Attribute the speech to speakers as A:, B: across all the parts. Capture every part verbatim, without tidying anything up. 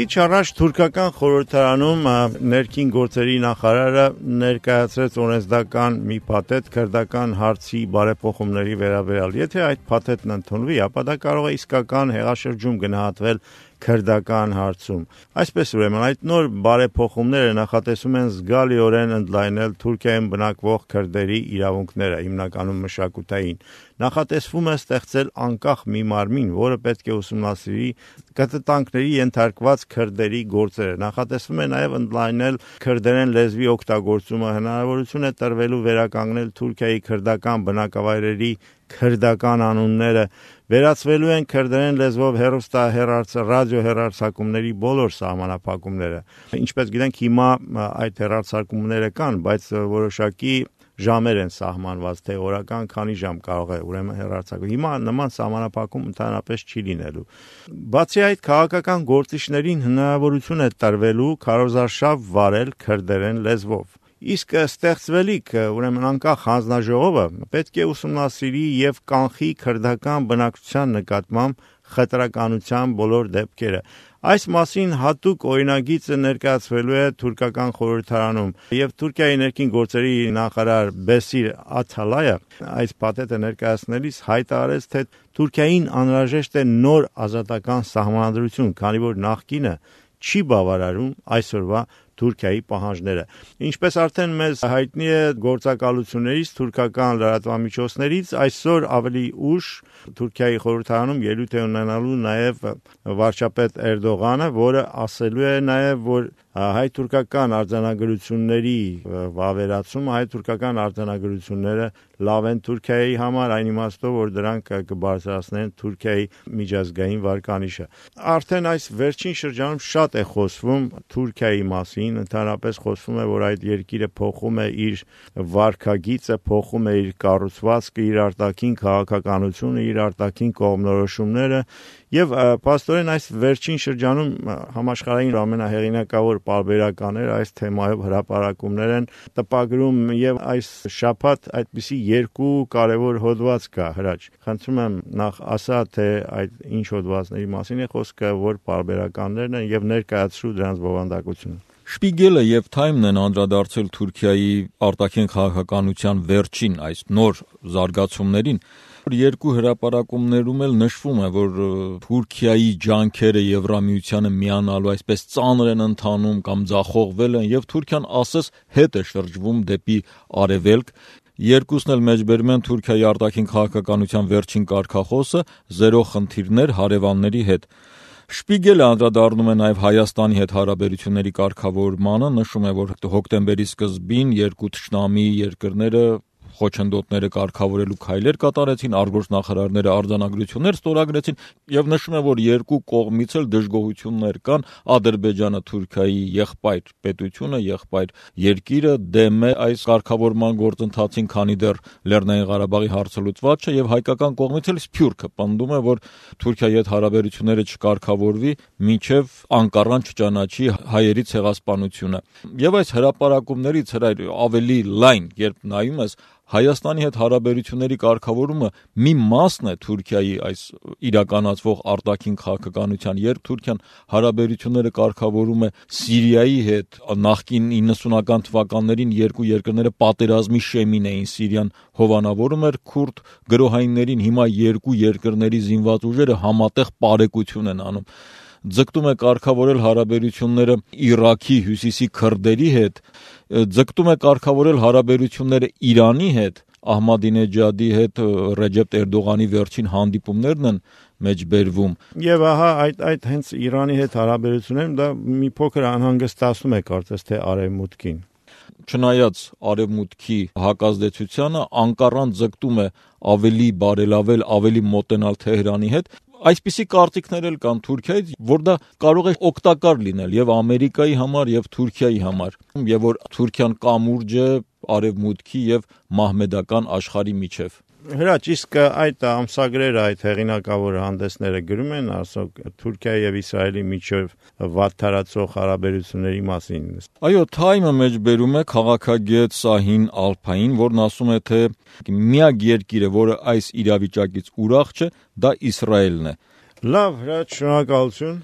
A: Քիչ առաջ թուրքական խորհրդարանում ներքին գործերի նախարարը ներկայացրեց օրենսդրական մի փաթեթ քրդական հարցի բարեփոխումների վերաբերյալ։ Եթե այդ փաթեթն ընդունվի, ապա դա կարող է իսկական հեղաշրջում գնահատվել քրդական հարցում։ Այսպես ուրեմն այդ նոր բարեփոխումները նախատեսում են զգալիորեն ընդլայնել Թուրքիայում բնակվող քրդերի իրավունքները, հիմնականում մշակութային։ Նախատեսվում է ստեղծել անկախ մի մարմին, որը պետք է ուսումնասիրի կտտանքների ենթարկված քրդերի գործերը։ Նախատեսվում է նաև ընդլայնել քրդերեն լեզվի օգտագործումը, հնարավորություն է տրվելու վերականգնել Թուրքիայի քրդական բնակավայրերի քրդական անունները, վերացվելու են քրդերեն լեզվով հեռուստա ռադիո հեռարձակումների բոլոր սահմանափակումները։ Ինչպես գիտենք, հիմա այդ հեռարձակումները կան, բայց որոշակի ժամեր են սահմանված, թե օրական քանի ժամ կարող է ուրեմն հեռարձակել։ Հիմա նման սահմանափակում ընդհանրապես չի լինելու։ Բացի այդ, քաղաքական գործիչներին հնարավորություն է տրվելու քարոզարշավ վարել քրդերեն լեզվով։ Իսկ ստեղծվելիք ուրեմն անկախ հանձնաժողովը պետք է ուսումնասիրի եւ կանխի քրդական բնակչության նկատմամբ խտրականության բոլոր դեպքերը։ Այս մասին հատուկ օրինագիծը ներկայացվելու է թուրքական խորհրդարանում եւ Թուրքիայի ներքին գործերի նախարար Բեսիր Աթալայը այս փաթեթը ներկայացնելիս հայտարարեց, թե Թուրքիային անհրաժեշտ է նոր ազատական սահմանադրություն, քանի որ նախկինը չի բավարարում այսօրվա Թուրքիայի պահանջները։ Ինչպես արդեն մեզ հայտնի է գործակալություններից, թուրքական լրատվամիջոցներից, այսօր ավելի ուշ Թուրքիայի խորհրդարանում ելույթ է ունենալու նաև վարչապետ Էրդողանը, որը ասելու է նաև, որ հայ-թուրքական արձանագրությունների վավերացումը, հայ-թուրքական արձանագրությունները լավ են Թուրքիայի համար, այն իմաստով, որ դրանք կբարձրացնեն Թուրքիայի միջազգային վարկանիշը։ Արդեն այս վերջին շրջանում շատ է խոսվում Թուրքիայի մասին, ընդհանրապես խոսվում է, որ այդ երկիրը փոխում է իր վարքագիծը, փոխում է իր կառուցվածքը, իր արտաքին քաղաքականությունը, իր արտաքին կողմնորոշումները եւ փաստորեն այս վերջին շրջանում համաշխարհային ամենահեղինակավոր պարբերականներ այս թեմայով հրապարակումներ են տպագրում եւ այս շաբաթ այդպիսի երկու կարևոր հոդված կա հրաչ։ Խնդրում եմ նախ ասա, թե այդ ինչ հոդվածների մասին է խոսքը, որ պարբերականներն են եւ ներկայացրու դրանց բովանդակությունը։
B: Շպիգելը եւ Թայմն են անդրադարձել Թուրքիայի արտաքին քաղաքականության վերջին այս նոր զարգացումներին։ Երկու հրապարակումներում էլ նշվում է, որ Թուրքիայի ջանքերը Եվրամիությանը միանալու այսպես ծանր են ընթանում կամ ձախողվել են եւ Թուրքիան ասես հետ է շրջվում դեպի արևելք։ Երկուսն էլ մեջբերում են Թուրքիայի արտաքին քաղաքականության վերջին կարգախոսը՝ զերո խնդիրներ հարևանների հետ։ Շպիգելը անդրադառնում է նաև Հայաստանի հետ հարաբերությունների կարգավորմանը, նշում է, որ հոկտեմբերի սկզբին երկու թշնամի երկրները խոչընդոտները կարգավորելու քայլեր կատարեցին, արտգործնախարարները արձանագրություններ ստորագրեցին եւ նշում է, որ երկու կողմից էլ դժգոհություններ կան, Ադրբեջանը Թուրքիայի եղբայր պետությունը, եղբայր երկիրը դեմ է այս կարգավորման գործընթացին, քանի դեռ Լեռնային Ղարաբաղի հարցը լուծված չէ եւ հայկական կողմից էլ սփյուռքը պնդում է, որ Թուրքիայի հետ հարաբերությունները չկարգավորվի, մինչեւ Անկարան չճանաչի հայերի ցեղասպանությունը։ Եվ այս հրապարակումներից հրայր ավելի լայն, երբ նայում ես Հայաստանի հետ հարաբերությունների կարգավորումը մի մասն է Թուրքիայի այս իրականացվող արտաքին քաղաքականության, երբ Թուրքիան հարաբերությունները կարգավորում է Սիրիայի հետ, նախկին իննսունական թվականներին երկու երկրները պատերազմի շեմին էին, Սիրիան հովանավորում էր քուրդ գրոհայիններին, հիմա երկու երկրների զինված ուժերը համատեղ պարեկություն են անում։ Ձգտում է կարգավորել հարաբերությունները Իրաքի հյուսիսի քրդերի հետ, ձգտում է կարգավորել հարաբերությունները Իրանի հետ, Ահմադինեջադի հետ Ռեջեփ Էրդողանի վերջին հանդիպումներն են մեջբերվում։
A: Եվ ահա այդ այդ հենց Իրանի հետ հարաբերություններում դա մի փոքր անհանգստացնում է կարծես թե արևմուտքին։
B: Չնայած արևմուտքի հակազդեցությանը, Անկարան ձգտում է ավելի բարելավել, ավելի մոտենալ Թեհրանի հետ։ Այսպիսի կարծիքներ էլ կան Թուրքիայից, որ դա կարող է օգտակար լինել եւ Ամերիկայի համար եւ Թուրքիայի համար, եւ որ Թուրքիան կամուրջ է արևմուտքի եւ մահմեդական աշխարհի միջև։
A: Հրաչ, իսկ այդ ամսագրերը, այդ հեղինակավոր հանդեսները գրում են ասոք Թուրքիայի եւ Իսրայելի միջև վատթարացող հարաբերությունների մասին։
B: Այո, Թայմը մեջբերում է քաղաքագետ Սահին Ալփային, որն ասում է, թե միակ երկիրը, որը այս իրավիճակից ուրախ չէ, դա Իսրայելն է։
A: Լավ, հրաչ, շնորհակալություն։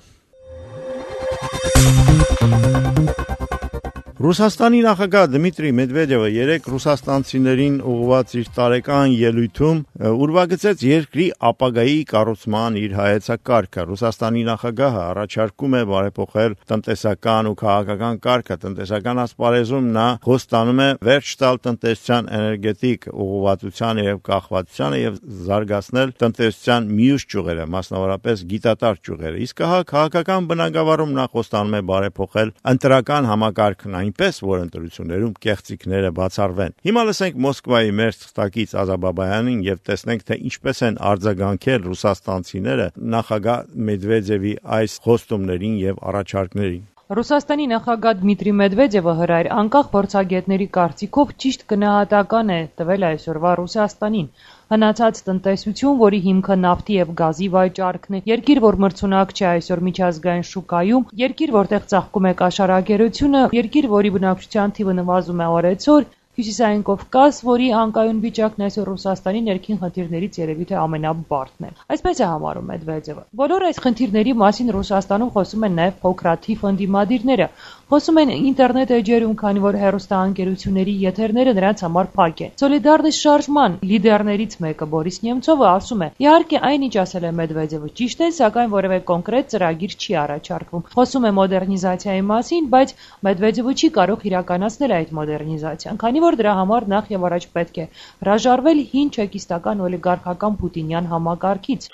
A: Ռուսաստանի նախագահ Դմիտրի Մեդվեդևը երեկ ռուսաստանցիներին ուղղված իր տարեկան ելույթում ուրվագծեց երկրի ապագայի կառուցման իր հայեցակարգը։ Ռուսաստանի նախագահը առաջարկում է բարեփոխել տնտեսական ու քաղաքական կարգը։ Տնտեսական ասպարեզում նա խոստանում է վերջ տալ տնտեսության էներգետիկ ուղղվածությանը եւ կախվածությանը եւ զարգացնել տնտեսության մյուս ճյուղերը, մասնավորապես գիտատար ճյուղերը։ Իսկ հա քաղաքական բնագավառում նա խոստանում է բարեփոխել ընտրական համակարգն այնպես, որ ընտրություններում կեղծիքները բացառվեն։ Հիմա լսենք Մոսկվայի մեր թղթակից Ազաբաբայանին եւ տեսնենք, թե ինչպես են արձագանքել ռուսաստանցիները նախագահ Մեդվեդևի այս խոստումներին եւ առաջարկներին։
C: Ռուսաստանի նախագահ Դմիտրի Մեդվեդևը հրայր անկախ փորձագետների կարծիքով ճիշտ գնահատական է տվել այսօրվա Ռուսաստանին։ Հնացած տնտեսություն, որի հիմքը նավթի եւ գազի վաճառքն է, երկիր, որ մրցունակ չէ այսօր միջազգային շուկայում, երկիր, որտեղ ծաղկում է կաշառակերությունը, երկիր, որի բնակչության թիվը նվազում է օրեցօր, Հյուսիսային Կովկաս, որի անկայուն վիճակն այսօր Ռուսաստանի ներքին խնդիրներից երևի թե ամենաբարդն է։ Այսպես է համարում Մեդվեդևը։ Բոլոր այս խնդիրների մասին Ռուսաստանում խոսում են նաև փոքրաթիվ ընդդիմադիրները։ Խոսում են ինտերնետ էջերում, քանի որ հեռուստաընկերությունների եթերները նրանց համար փակ են։ Սոլիդարնիստ շարժման լիդերներից մեկը Բորիս Նեմցովը ասում է. «Իհարկե, այնինչ ասել է Մեդվեդևը ճիշտ է, սակայն որևէ կոնկրետ ծրագիր չի առաջարկվում։ Խոսում է մոդեռնիզացիայի մասին, բայց Մեդվեդևը չի կարող իրականացնել այդ մոդեռնիզացիան, քանի որ դրա համար նախ եւ առաջ պետք է հրաժարվել հին չեկիստական օլիգարխական պուտինյան համակարգից»։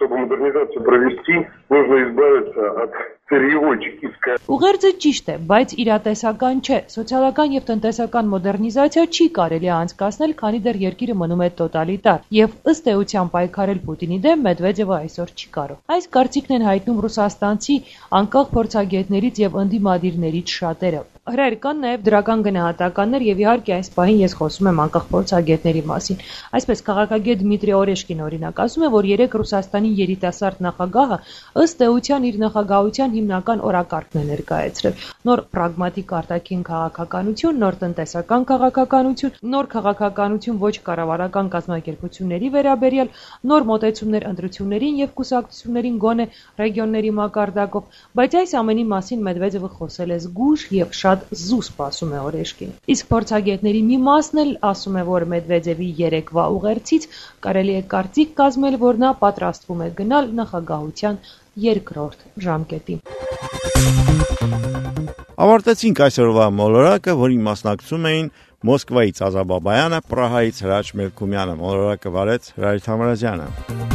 C: Ուղերձը ճիշտ է, բայց իրատեսական չէ։ Սոցիալական եւ տնտեսական մոդեռնիզացիա չի կարելի անցկացնել, քանի դեռ երկիրը մնում է տոտալիտար, եւ ըստ էության պայքարել Պուտինի դեմ Մեդվեդևը այսօր չի կարող։ Այս կարծիքն են հայտնում ռուսաստանցի անկախ փորձագետներից եւ ընդդիմադիրներից շատերը։ Հրայր կան նաև դրական գնահատականներ եւ իհարկե այս պահին ես խոսում եմ անկախ փորձագետների մասին։ Այսպես քաղաքագետ Դմիտրի Օրեշկին օրինակ ասում է, որ երեք Ռուսաստանի երիտասարդ նախագահը ըստ էության իր նախագահության հիմնական օրակարգն է ներկայացրել։ Նոր պրագմատիկ արտաքին քաղաքականություն, նոր տնտեսական քաղաքականություն, նոր քաղաքականություն ոչ կառավարական կազմակերպությունների վերաբերյալ, նոր մոտեցումներ ընտրություններին եւ կուսակցություններին գոնե ռեգիոնների մակարդակով, բայց այս ամենի մասին Մեդվեդևը խոսել է զգույշ եւ շատ զուսպ, ասում է Օրեշկին։ Իսկ փորձագետների մի մասն էլ ասում է, որ Մեդվեդևի երեկվա ուղերձից կարելի է կարծիք կազմել, որ նա պատրաստվում է գնալ նախագահության երկրորդ ժամկետին։
A: Ավարտեցինք այսօրվա մոլորակը, որին մասնակցում էին Մոսկվայից Ազաբաբայանը, Պրահայից Հրաչ Մելքումյանը, մոլորակը վարեց Հրայր Թամրազյանը։